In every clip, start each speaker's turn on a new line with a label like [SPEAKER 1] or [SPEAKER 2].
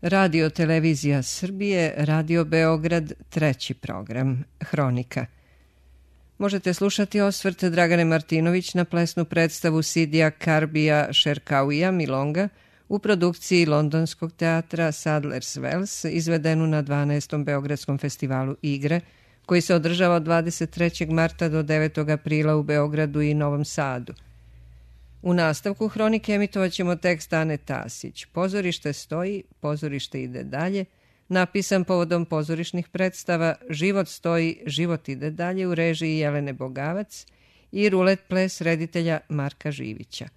[SPEAKER 1] Radio Televizija Srbije, Radio Beograd, treći program, Hronika. Možete slušati osvrt Dragane Martinović na plesnu predstavu Sidija Karbija Šerkauija Milonga u produkciji Londonskog teatra Sadler's Wells, izvedenu na 12. Beogradskom festivalu Igre, koji se održava od 23. marta do 9. aprila u Beogradu i Novom Sadu. U nastavku Hronike emitovat ćemo tekst Ane Tasić. Pozorište stoji, pozorište ide dalje, napisan povodom pozorišnih predstava Život stoji, život ide dalje u režiji Jelene Bogavac i Rulet ples reditelja Marka Živića.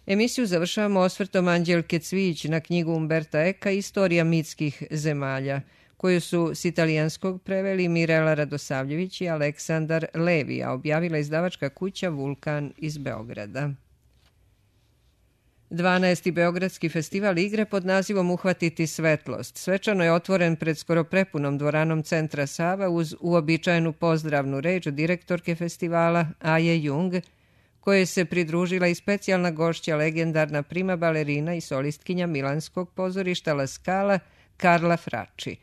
[SPEAKER 1] Emisiju završavamo osvrtom Anđelke Cvijić na knjigu Umberta Eka Istorija mitskih zemalja, koju su s italijanskog preveli Mirela Radosavljević i Aleksandar Levi, a objavila izdavačka kuća Vulkan iz Beograda. 12. Beogradski festival Igre pod nazivom Uhvatiti svetlost svečano je otvoren pred skoro prepunom dvoranom Centra Sava uz uobičajenu pozdravnu reč direktorke festivala Aje Jung, koje se pridružila i specijalna gošća legendarna prima balerina i solistkinja Milanskog pozorišta La Scala Carla Fracci.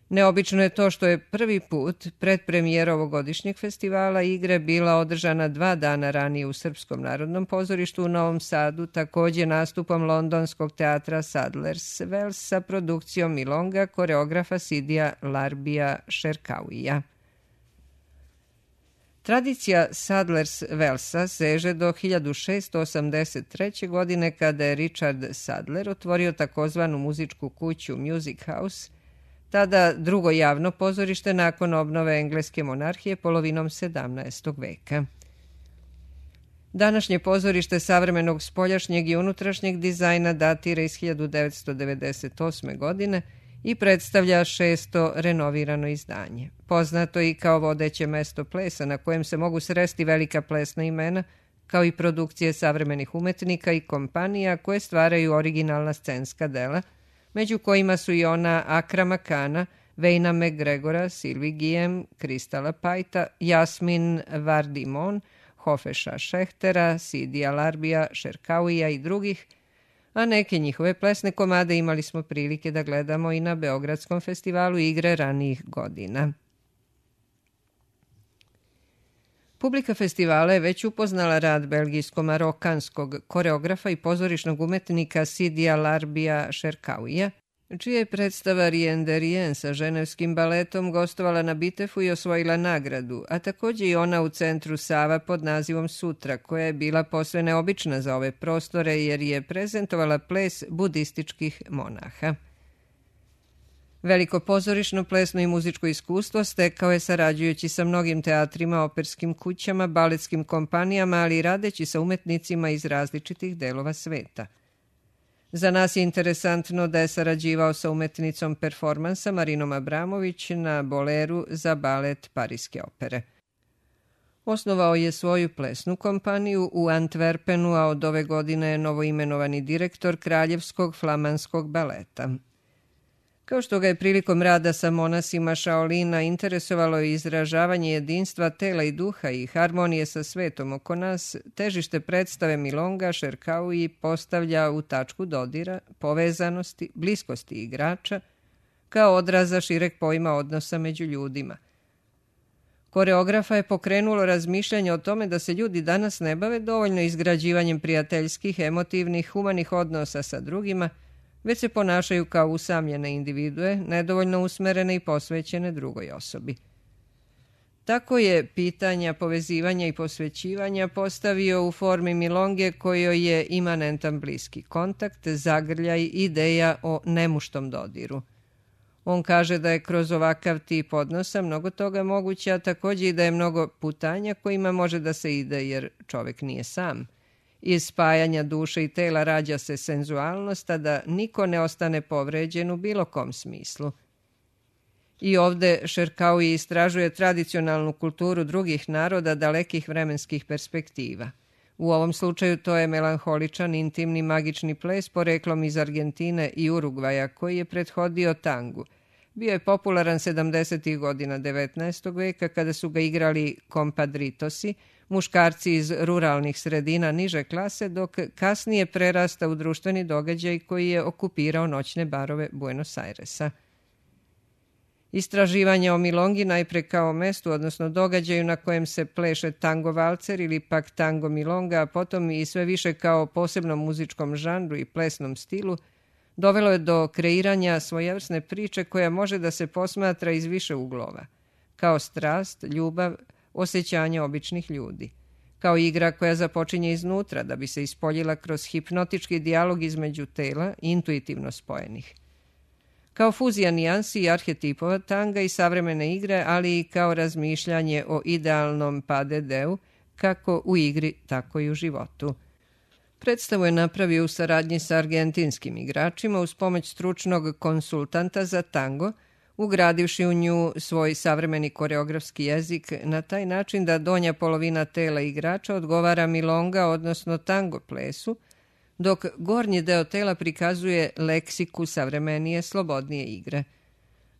[SPEAKER 1] Neobično je to što je prvi put predpremijera ovogodišnjeg festivala Igre bila održana 2 dana ranije u Srpskom narodnom pozorištu u Novom Sadu, također nastupom Londonskog teatra Sadler's Wells sa produkcijom Milonga koreografa Sidija Larbija Šerkauija. Tradicija Sadler's Wellsa seže do 1683. godine kada je Richard Sadler otvorio takozvanu muzičku kuću Music House, tada drugo javno pozorište nakon obnove engleske monarhije polovinom 17. veka. Današnje pozorište savremenog spoljašnjeg i unutrašnjeg dizajna datira iz 1998. godine i predstavlja 6. renovirano izdanje. Poznato i kao vodeće mesto plesa na kojem se mogu sresti velika plesna imena, kao i produkcije savremenih umetnika i kompanija koje stvaraju originalna scenska dela, među kojima su i ona Akrama Kana, Vejna McGregora, Sylvie Guillem, Kristala Pajta, Jasmin Vardimon, Hofeša Šehtera, Sidija Larbija, Šerkauija i drugih, a neke njihove plesne komade imali smo prilike da gledamo i na Beogradskom festivalu Igre ranijih godina. Publika festivala je već upoznala rad belgijsko-marokanskog koreografa i pozorišnog umetnika Sidija Larbija Šerkauija, čija je predstava Rien de Rien sa ženevskim baletom gostovala na Bitefu i osvojila nagradu, a također i ona u Centru Sava pod nazivom Sutra, koja je bila posve neobična za ove prostore jer je prezentovala ples budističkih monaha. Veliko pozorišno, plesno i muzičko iskustvo stekao je sarađujući sa mnogim teatrima, operskim kućama, baletskim kompanijama, ali i radeći sa umetnicima iz različitih delova sveta. Za nas je interesantno da je sarađivao sa umetnicom performansa Marinom Abramović na boleru za balet Pariske opere. Osnovao je svoju plesnu kompaniju u Antwerpenu, a od ove godine je novoimenovani direktor Kraljevskog flamanskog baleta. Kao što ga je prilikom rada sa monasima Shaolina interesovalo je izražavanje jedinstva tela i duha i harmonije sa svetom oko nas, težište predstave Milonga Šerkauiji postavlja u tačku dodira, povezanosti, bliskosti igrača, kao odraza šireg pojma odnosa među ljudima. Koreografa je pokrenulo razmišljanje o tome da se ljudi danas ne bave dovoljno izgrađivanjem prijateljskih, emotivnih, humanih odnosa sa drugima, već se ponašaju kao usamljene individue, nedovoljno usmerene i posvećene drugoj osobi. Tako je pitanja povezivanja i posvećivanja postavio u formi Milonge kojoj je imanentan bliski kontakt, zagrljaj, ideja o nemuštom dodiru. On kaže da je kroz ovakav tip odnosa mnogo toga moguće, a također i da je mnogo putanja kojima može da se ide jer čovek nije sam. Iz spajanja duše i tela rađa se senzualnost, a da niko ne ostane povređen u bilo kom smislu. I ovde Šerkauiji istražuje tradicionalnu kulturu drugih naroda dalekih vremenskih perspektiva. U ovom slučaju to je melanholičan, intimni, magični ples poreklom iz Argentine i Urugvaja koji je prethodio tangu, Bio je popularan 70. godina 19. veka kada su ga igrali kompadritosi, muškarci iz ruralnih sredina niže klase, dok kasnije prerasta u društveni događaj koji je okupirao noćne barove Buenos Airesa. Istraživanje o milongi najpre kao mestu, odnosno događaju na kojem se pleše tango valcer ili pak tango milonga, a potom i sve više kao posebnom muzičkom žanru i plesnom stilu, dovelo je do kreiranja svojevrsne priče koja može da se posmatra iz više uglova, kao strast, ljubav, osjećanje običnih ljudi, kao igra koja započinje iznutra da bi se ispoljila kroz hipnotički dijalog između tela, intuitivno spojenih, kao fuzija nijansi i arhetipova tanga i savremene igre, ali i kao razmišljanje o idealnom padedeu, kako u igri, tako i u životu. Predstavu je napravio u saradnji sa argentinskim igračima uz pomoć stručnog konsultanta za tango, ugradivši u nju svoj savremeni koreografski jezik na taj način da donja polovina tela igrača odgovara milonga, odnosno tango plesu, dok gornji deo tela prikazuje leksiku savremenije, slobodnije igre.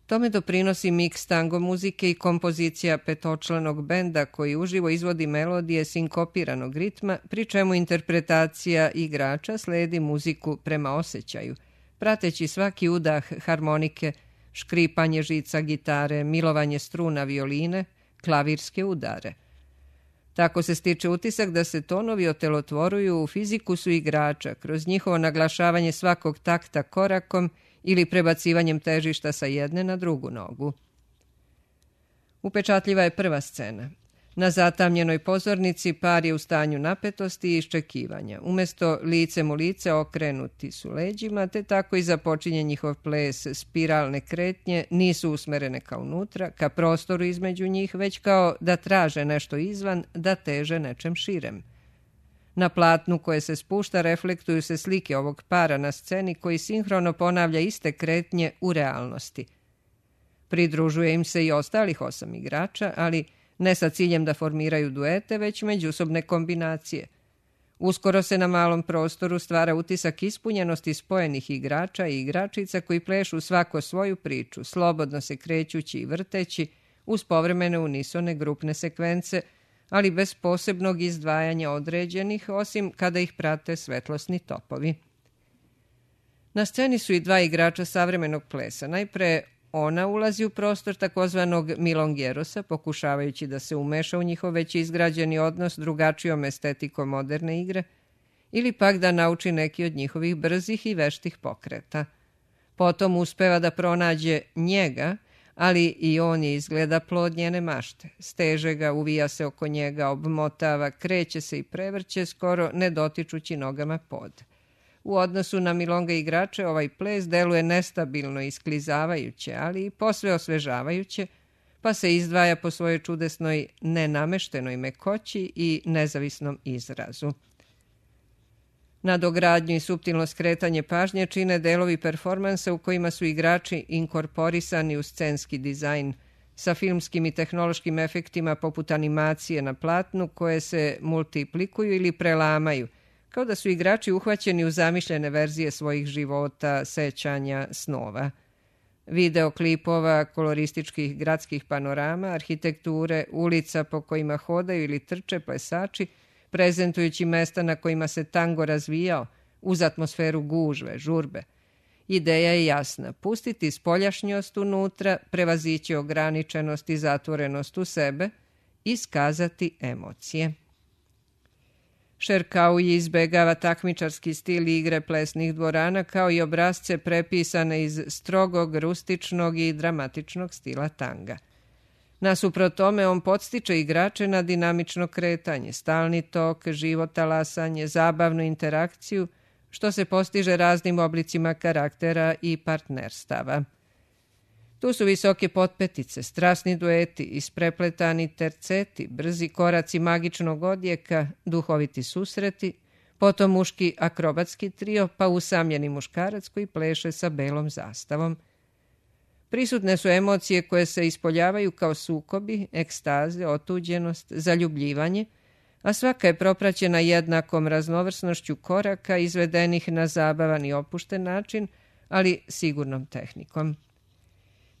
[SPEAKER 1] Tome doprinosi miks tango muzike i kompozicija petočlanog benda koji uživo izvodi melodije sinkopiranog ritma, pri čemu interpretacija igrača sledi muziku prema osjećaju, prateći svaki udah harmonike, škripanje žica gitare, milovanje struna violine, klavirske udare. Tako se stiče utisak da se tonovi otelotvoruju u fizikusu igrača kroz njihovo naglašavanje svakog takta korakom ili prebacivanjem težišta sa jedne na drugu nogu. Upečatljiva je prva scena. Na zatamnjenoj pozornici par je u stanju napetosti i iščekivanja. Umesto licem u lice okrenuti su leđima, te tako i započinje njihov ples. Spiralne kretnje nisu usmerene ka unutra, ka prostoru između njih, već kao da traže nešto izvan, da teže nečem širem. Na platnu koje se spušta reflektuju se slike ovog para na sceni koji sinhrono ponavlja iste kretnje u realnosti. Pridružuje im se i ostalih 8 igrača, ali ne sa ciljem da formiraju duete, već međusobne kombinacije. Uskoro se na malom prostoru stvara utisak ispunjenosti spojenih igrača i igračica koji plešu svako svoju priču, slobodno se krećući i vrteći, uz povremene unisone grupne sekvence, ali bez posebnog izdvajanja određenih, osim kada ih prate svetlosni topovi. Na sceni su i 2 igrača savremenog plesa. Najpre ona ulazi u prostor takozvanog milongierosa, pokušavajući da se umeša u njihov već izgrađeni odnos drugačijom estetikom moderne igre, ili pak da nauči neki od njihovih brzih i veštih pokreta. Potom uspeva da pronađe njega, ali i on je izgleda plod njene mašte. Steže ga, uvija se oko njega, obmotava, kreće se i prevrće, skoro ne dotičući nogama pod. U odnosu na milonga igrače ovaj ples deluje nestabilno i isklizavajuće, ali i posve osvežavajuće, pa se izdvaja po svojoj čudesnoj nenameštenoj mekoći i nezavisnom izrazu. Nadogradnju i suptilno skretanje pažnje čine delovi performansa u kojima su igrači inkorporisani u scenski dizajn sa filmskim i tehnološkim efektima poput animacije na platnu koje se multiplikuju ili prelamaju, kao da su igrači uhvaćeni u zamišljene verzije svojih života, sećanja, snova. Videoklipova, kolorističkih gradskih panorama, arhitekture, ulica po kojima hodaju ili trče plesači, prezentujući mesta na kojima se tango razvijao, uz atmosferu gužve, žurbe. Ideja je jasna, pustiti spoljašnjost unutra, prevazići ograničenost i zatvorenost u sebe, iskazati emocije. Šerkaui izbegava takmičarski stil igre plesnih dvorana kao i obrazce prepisane iz strogog, rustičnog i dramatičnog stila tanga. Nasuprot tome, on podstiče igrače na dinamično kretanje, stalni tok, živo talasanje, zabavnu interakciju, što se postiže raznim oblicima karaktera i partnerstava. Tu su visoke potpetice, strasni dueti, isprepletani terceti, brzi koraci magičnog odjeka, duhoviti susreti, potom muški akrobatski trio, pa usamljeni muškarac koji pleše sa belom zastavom. Prisutne su emocije koje se ispoljavaju kao sukobi, ekstaze, otuđenost, zaljubljivanje, a svaka je propraćena jednakom raznovrsnošću koraka izvedenih na zabavan i opušten način, ali sigurnom tehnikom.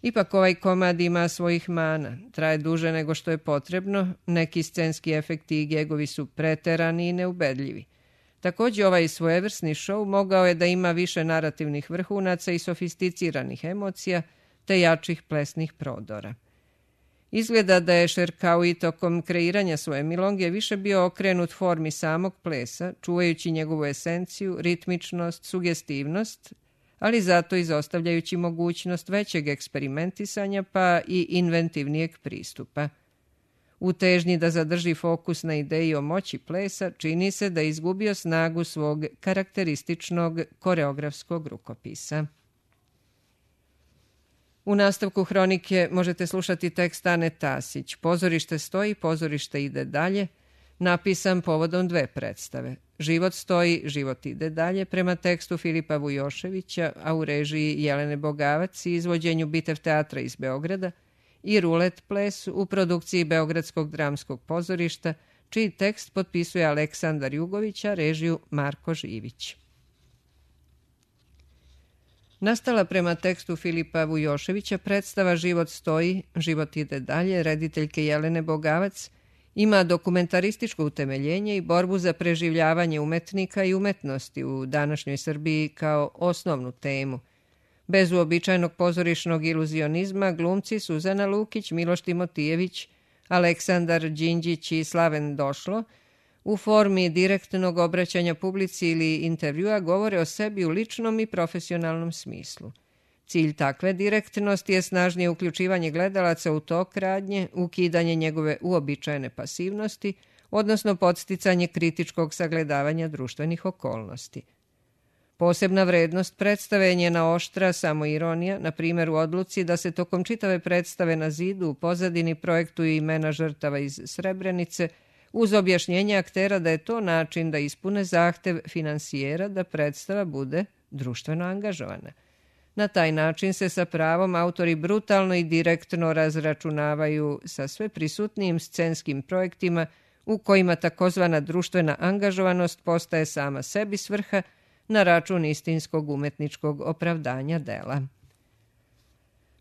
[SPEAKER 1] Ipak ovaj komad ima svojih mana, traje duže nego što je potrebno, neki scenski efekti i gegovi su preterani i neubedljivi. Također ovaj svojevrsni šou mogao je da ima više narativnih vrhunaca i sofisticiranih emocija, te jačih plesnih prodora. Izgleda da je Šerkaui tokom kreiranja svoje milonge više bio okrenut formi samog plesa, čuvajući njegovu esenciju, ritmičnost, sugestivnost, ali zato izostavljajući mogućnost većeg eksperimentisanja pa i inventivnijeg pristupa. U težnji da zadrži fokus na ideji o moći plesa, čini se da je izgubio snagu svog karakterističnog koreografskog rukopisa. U nastavku hronike možete slušati tekst Ane Tasić. Pozorište stoji, pozorište ide dalje, napisan povodom 2 predstave. Život stoji, život ide dalje, prema tekstu Filipa Vujoševića, a u režiji Jelene Bogavac i izvođenju Bitev teatra iz Beograda, i Rulet ples u produkciji Beogradskog dramskog pozorišta, čiji tekst potpisuje Aleksandar Jugović, a režiju Marko Živić. Nastala prema tekstu Filipa Vujoševića predstava Život stoji, život ide dalje, rediteljke Jelene Bogavac, ima dokumentarističko utemeljenje i borbu za preživljavanje umetnika i umetnosti u današnjoj Srbiji kao osnovnu temu. Bez uobičajenog pozorišnog iluzionizma glumci Suzana Lukić, Miloš Timotijević, Aleksandar Đinđić i Slaven Došlo u formi direktnog obraćanja publici ili intervjua govore o sebi u ličnom i profesionalnom smislu. Cilj takve direktnosti je snažnije uključivanje gledalaca u tok radnje, ukidanje njegove uobičajene pasivnosti, odnosno podsticanje kritičkog sagledavanja društvenih okolnosti. Posebna vrednost predstave je njena oštra samoironija, na primjer u odluci da se tokom čitave predstave na zidu u pozadini projektuju imena žrtava iz Srebrenice, uz objašnjenje aktera da je to način da ispune zahtev finansijera da predstava bude društveno angažovana. Na taj način se sa pravom autori brutalno i direktno razračunavaju sa sve prisutnijim scenskim projektima u kojima takozvana društvena angažovanost postaje sama sebi svrha na račun istinskog umetničkog opravdanja dela.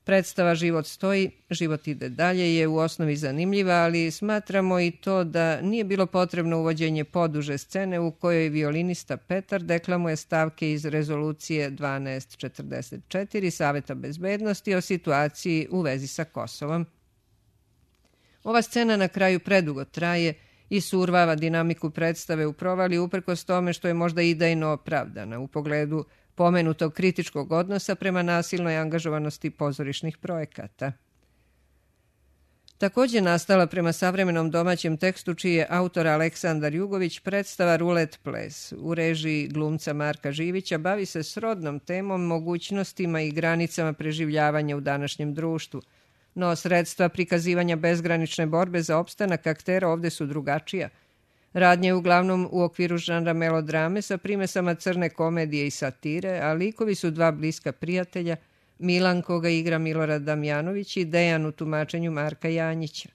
[SPEAKER 1] Predstava Život stoji, život ide dalje je u osnovi zanimljiva, ali smatramo i to da nije bilo potrebno uvođenje poduže scene u kojoj violinista Petar deklamuje stavke iz rezolucije 1244 Saveta bezbednosti o situaciji u vezi sa Kosovom. Ova scena na kraju predugo traje i survava dinamiku predstave u provali uprkos tome što je možda idejno opravdana u pogledu pomenutog kritičkog odnosa prema nasilnoj angažovanosti pozorišnih projekata. Također nastala prema savremenom domaćem tekstu čiji je autor Aleksandar Jugović predstava Rulet ples u režiji glumca Marka Živića bavi se srodnom temom, mogućnostima i granicama preživljavanja u današnjem društvu, no sredstva prikazivanja bezgranične borbe za opstanak aktera ovde su drugačija. Radnja je uglavnom u okviru žanra melodrame sa primesama crne komedije i satire, a likovi su 2 bliska prijatelja, Milan koga igra Milorad Damjanović i Dejan u tumačenju Marka Janjića.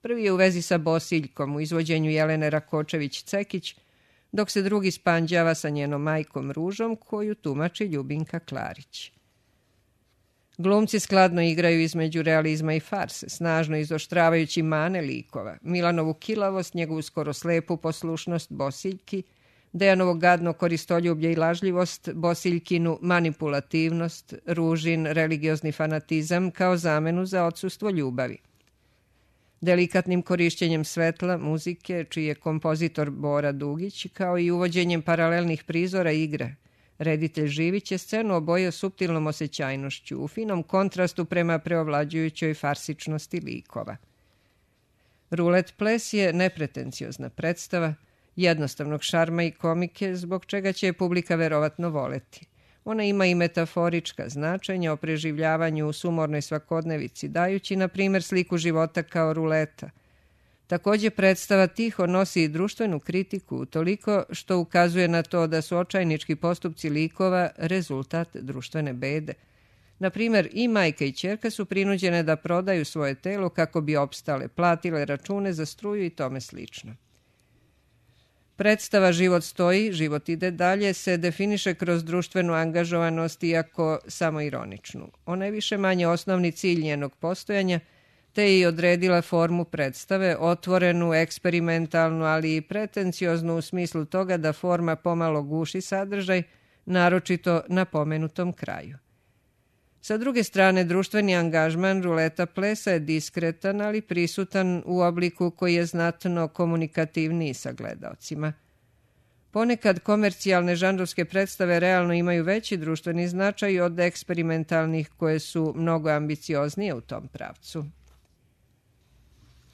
[SPEAKER 1] Prvi je u vezi sa Bosiljkom u izvođenju Jelene Rakočević-Cekić, dok se drugi spanđava sa njenom majkom Ružom koju tumači Ljubinka Klarić. Glumci skladno igraju između realizma i farse, snažno izoštravajući mane likova, Milanovu kilavost, njegovu skoro slepu poslušnost Bosiljki, Dejanovo gadno koristoljublje i lažljivost, Bosiljkinu manipulativnost, Ružin religiozni fanatizam kao zamenu za odsustvo ljubavi. Delikatnim korišćenjem svetla, muzike, čiji je kompozitor Bora Dugić, kao i uvođenjem paralelnih prizora igre, reditelj Živić je scenu obojio suptilnom osjećajnošću, u finom kontrastu prema preovlađujućoj farsičnosti likova. Rulet ples je nepretenciozna predstava, jednostavnog šarma i komike, zbog čega će je publika verovatno voleti. Ona ima i metaforička značenja o preživljavanju u sumornoj svakodnevici, dajući, na primjer, sliku života kao ruleta. Također predstava tiho nosi i društvenu kritiku, toliko što ukazuje na to da su očajnički postupci likova rezultat društvene bede. Na primjer, i majka i ćerka su prinuđene da prodaju svoje telo kako bi opstale, platile račune za struju i tome slično. Predstava Život stoji, život ide dalje se definiše kroz društvenu angažovanost, iako samo ironičnu. Ona je više manje osnovni cilj njenog postojanja, te je i odredila formu predstave, otvorenu, eksperimentalnu, ali i pretencioznu u smislu toga da forma pomalo guši sadržaj, naročito na pomenutom kraju. Sa druge strane, društveni angažman ruleta plesa je diskretan, ali prisutan u obliku koji je znatno komunikativniji sa gledaocima. Ponekad komercijalne žanrovske predstave realno imaju veći društveni značaj od eksperimentalnih koje su mnogo ambicioznije u tom pravcu.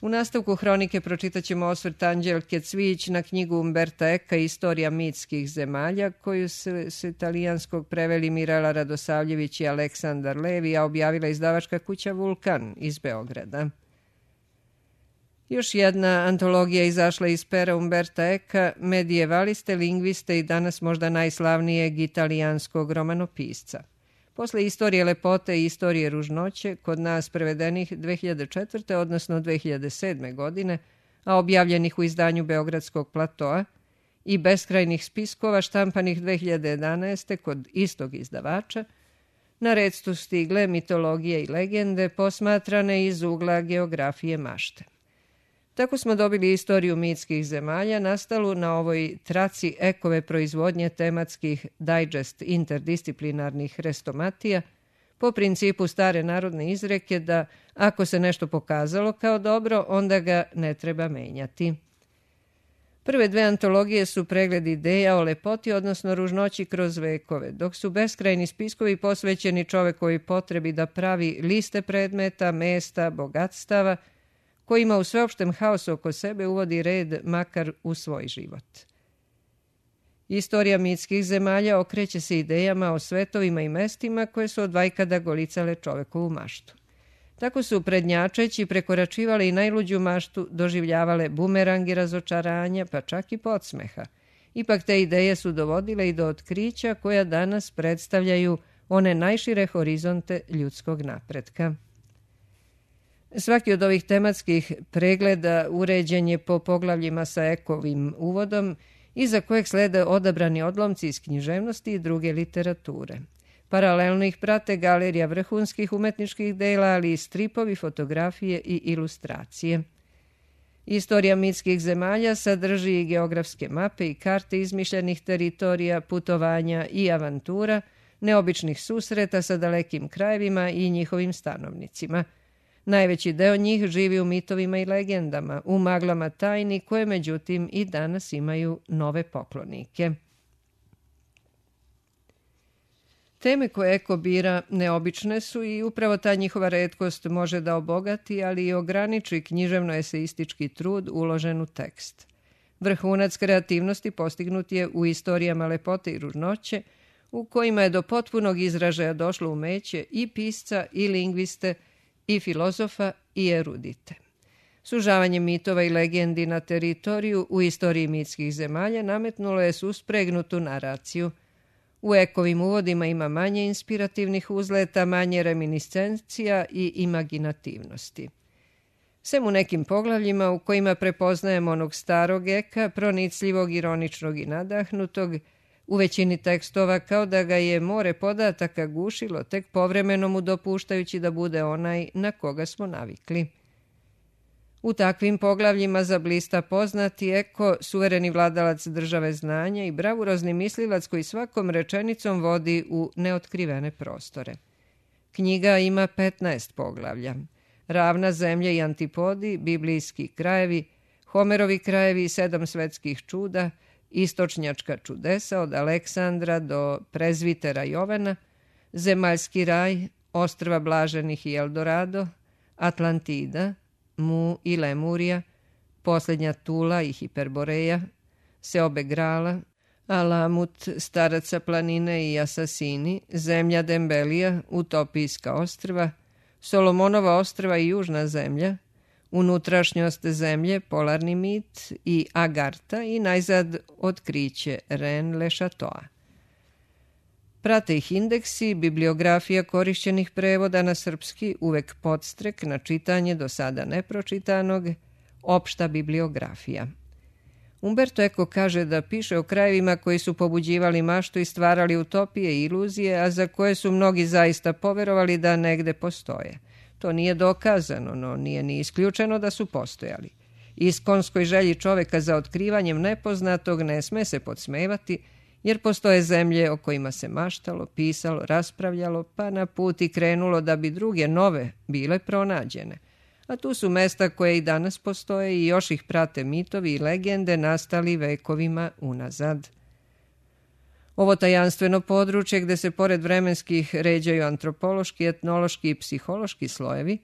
[SPEAKER 1] U nastavku hronike pročitat ćemo osvrt Anđelke Cvijić na knjigu Umberta Eka Istorija mitskih zemalja, koju su s italijanskog preveli Mirela Radosavljević i Aleksandar Levi, a objavila izdavačka kuća Vulkan iz Beograda. Još jedna antologija izašla iz pera Umberta Eka, medijevaliste, lingviste i danas možda najslavnijeg italijanskog romanopisca. Posle Istorije lepote i Istorije ružnoće, kod nas prevedenih 2004. odnosno 2007. godine, a objavljenih u izdanju Beogradskog platoa, i beskrajnih spiskova štampanih 2011. kod istog izdavača, na red su stigle mitologije i legende posmatrane iz ugla geografije mašte. Tako smo dobili Istoriju mitskih zemalja, nastalu na ovoj traci Ekove proizvodnje tematskih digest interdisciplinarnih hrestomatija, po principu stare narodne izreke da ako se nešto pokazalo kao dobro, onda ga ne treba menjati. Prve dve antologije su pregled ideja o lepoti, odnosno ružnoći kroz vekove, dok su beskrajni spiskovi posvećeni čovekovoj potrebi da pravi liste predmeta, mesta, bogatstava, kojima u sveopštem haosu oko sebe uvodi red makar u svoj život. Istorija mitskih zemalja okreće se idejama o svetovima i mestima koje su od vajkada golicale čovekovu maštu. Tako su prednjačeći prekoračivale i najluđu maštu, doživljavale bumerangi razočaranja, pa čak i podsmeha. Ipak te ideje su dovodile i do otkrića koja danas predstavljaju one najšire horizonte ljudskog napretka. Svaki od ovih tematskih pregleda uređen je po poglavljima sa Ekovim uvodom, iza kojeg slede odabrani odlomci iz književnosti i druge literature. Paralelno ih prate galerija vrhunskih umetničkih dela, ali i stripovi, fotografije i ilustracije. Istorija mitskih zemalja sadrži i geografske mape i karte izmišljenih teritorija, putovanja i avantura, neobičnih susreta sa dalekim krajevima i njihovim stanovnicima. Najveći deo njih živi u mitovima i legendama, u maglama tajni koje međutim i danas imaju nove poklonike. Teme koje Eko bira neobične su i upravo ta njihova retkost može da obogati, ali i ograniči književno-eseistički trud uložen u tekst. Vrhunac kreativnosti postignut je u istorijama lepote i ružnoće, u kojima je do potpunog izražaja došlo umeće i pisca i lingviste, i filozofa i erudite. Sužavanje mitova i legendi na teritoriju u istoriji mitskih zemalja nametnulo je suspregnutu naraciju. U Ekovim uvodima ima manje inspirativnih uzleta, manje reminiscencija i imaginativnosti. Sem u nekim poglavljima u kojima prepoznajemo onog starog Eka, pronicljivog, ironičnog i nadahnutog, u većini tekstova kao da ga je more podataka gušilo, tek povremeno mu dopuštajući da bude onaj na koga smo navikli. U takvim poglavljima zablista poznati Eko, suvereni vladalac države znanja i bravurozni mislilac koji svakom rečenicom vodi u neotkrivene prostore. Knjiga ima 15 poglavlja. Ravna zemlja i antipodi, biblijski krajevi, Homerovi krajevi i 7 svetskih čuda, istočnjačka čudesa od Aleksandra do prezvitera Jovana, zemaljski raj, ostrva Blaženih i Eldorado, Atlantida, Mu i Lemurija, posljednja Tula i Hiperboreja, Seobe Grala, Alamut, staraca planine i Asasini, zemlja Dembelija, utopijska ostrva, Solomonova ostrva i južna zemlja, unutrašnjost zemlje, polarni mit i Agarta i najzad otkriće Ren le Chateau. Prate ih indeksi, bibliografija korišćenih prevoda na srpski, uvek podstrek na čitanje do sada nepročitanog, opšta bibliografija. Umberto Eco kaže da piše o krajevima koji su pobuđivali maštu i stvarali utopije i iluzije, a za koje su mnogi zaista poverovali da negde postoje. To nije dokazano, no nije ni isključeno da su postojali. Iskonskoj želji čoveka za otkrivanjem nepoznatog ne sme se podsmevati, jer postoje zemlje o kojima se maštalo, pisalo, raspravljalo, pa na put i krenulo da bi druge nove bile pronađene. A tu su mesta koje i danas postoje i još ih prate mitovi i legende nastali vekovima unazad. Ovo tajanstveno područje gde se pored vremenskih ređaju antropološki, etnološki i psihološki slojevi,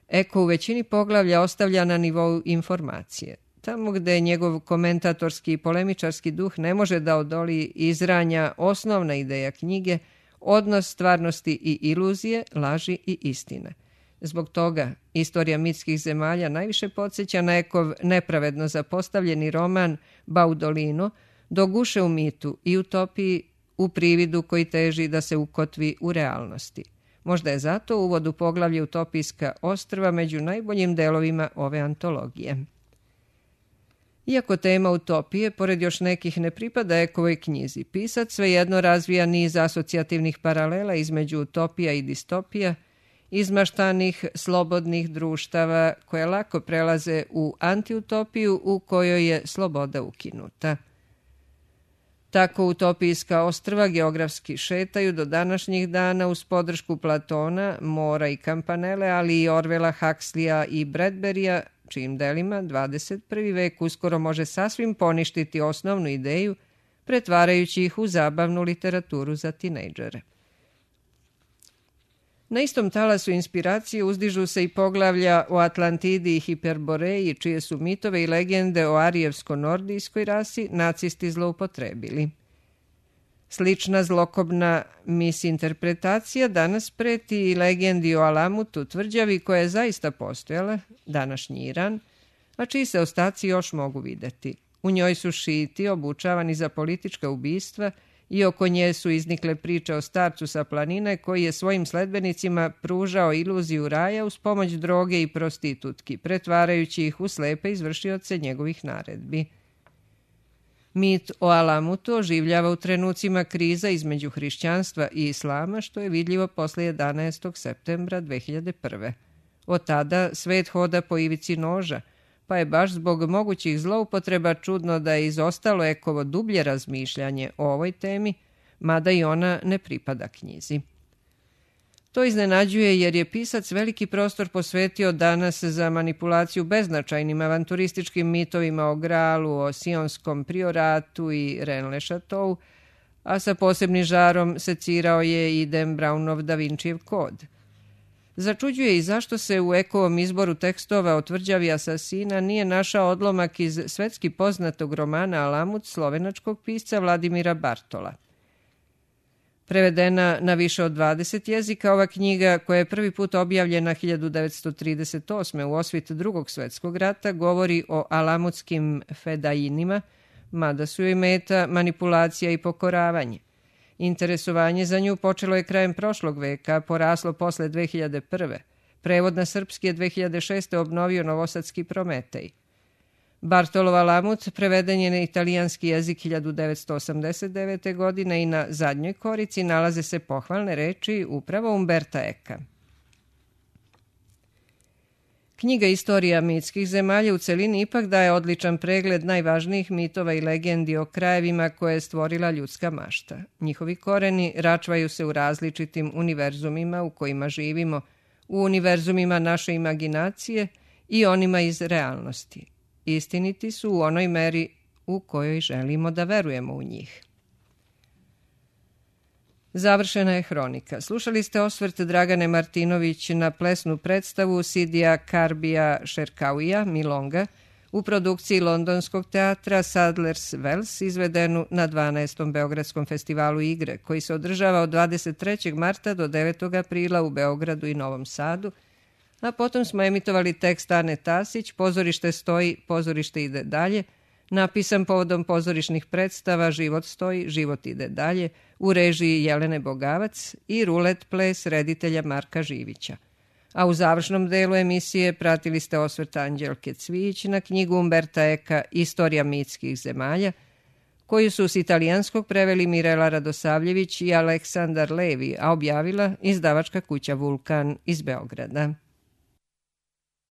[SPEAKER 1] Eko u većini poglavlja ostavlja na nivou informacije. Tamo gde njegov komentatorski i polemičarski duh ne može da odoli izranja osnovna ideja knjige, odnos stvarnosti i iluzije, laži i istine. Zbog toga istorija mitskih zemalja najviše podsjeća na Ekov nepravedno zapostavljeni roman Baudolino, doguše u mitu i utopiji u prividu koji teži da se ukotvi u realnosti. Možda je zato uvod u poglavlje Utopijska ostrva među najboljim delovima ove antologije. Iako tema utopije, pored još nekih, ne pripada Ekovoj knjizi, pisac svejedno razvija niz asocijativnih paralela između utopija i distopija, izmaštanih, slobodnih društava koje lako prelaze u antiutopiju u kojoj je sloboda ukinuta. Tako utopijska ostrva geografski šetaju do današnjih dana uz podršku Platona, Mora i Campanelle, ali i Orwella, Huxleya i Bradberija, čijim delima 21. vek uskoro može sasvim poništiti osnovnu ideju, pretvarajući ih u zabavnu literaturu za tinejdžere. Na istom talasu inspiracije uzdižu se i poglavlja o Atlantidi i Hiperboreji, čije su mitove i legende o arijevsko-nordijskoj rasi nacisti zloupotrebili. Slična zlokobna misinterpretacija danas preti i legendi o Alamutu, tvrđavi koja je zaista postojala, današnji Iran, a čiji se ostaci još mogu videti. U njoj su šiti obučavani za politička ubistva i oko nje su iznikle priče o starcu sa planine koji je svojim sledbenicima pružao iluziju raja uz pomoć droge i prostitutki, pretvarajući ih u slepe izvršioce njegovih naredbi. Mit o Alamutu oživljava u trenucima kriza između hrišćanstva i islama, što je vidljivo posle 11. septembra 2001. Od tada svet hoda po ivici noža, pa je baš zbog mogućih zloupotreba čudno da je izostalo Ekovo dublje razmišljanje o ovoj temi, mada i ona ne pripada knjizi. To iznenađuje jer je pisac veliki prostor posvetio danas za manipulaciju beznačajnim avanturističkim mitovima o Gralu, o Sionskom prioratu i Rennes-le-Chateau, a sa posebnim žarom secirao je i Dan Brownov Da Vincijev kod. Začuđuje i zašto se u Ekovom izboru tekstova o tvrđavi asasina nije našao odlomak iz svetski poznatog romana Alamut slovenačkog pisca Vladimira Bartola. Prevedena na više od 20 jezika, ova knjiga, koja je prvi put objavljena 1938. u osvit Drugog svetskog rata, govori o alamutskim fedajinima, mada su joj meta manipulacija i pokoravanje. Interesovanje za nju počelo je krajem prošlog veka, poraslo posle 2001. Prevod na srpski je 2006. obnovio novosadski Prometej. Bartolov Alamut preveden je na italijanski jezik 1989. godine i na zadnjoj korici nalaze se pohvalne reči upravo Umberta Eka. Knjiga Istorija mitskih zemalja u celini ipak daje odličan pregled najvažnijih mitova i legendi o krajevima koje je stvorila ljudska mašta. Njihovi koreni račvaju se u različitim univerzumima u kojima živimo, u univerzumima naše imaginacije i onima iz realnosti. Istiniti su u onoj meri u kojoj želimo da verujemo u njih. Završena je hronika. Slušali ste osvrt Dragane Martinović na plesnu predstavu Sidija Karbija Šerkauija, Milonga, u produkciji Londonskog teatra Sadler's Wells, izvedenu na 12. Beogradskom festivalu igre, koji se održava od 23. marta do 9. aprila u Beogradu i Novom Sadu, a potom smo emitovali tekst Ane Tasić, Pozorište stoji, pozorište ide dalje, napisan povodom pozorišnih predstava Život stoji, život ide dalje, u režiji Jelene Bogavac i Rulet ples reditelja Marka Živića. a u završnom delu emisije pratili ste osvrt Anđelke Cvijić na knjigu Umberta Eka Istorija mitskih zemalja, koju su s italijanskog preveli Mirela Radosavljević i Aleksandar Levi, a objavila izdavačka kuća Vulkan iz Beograda.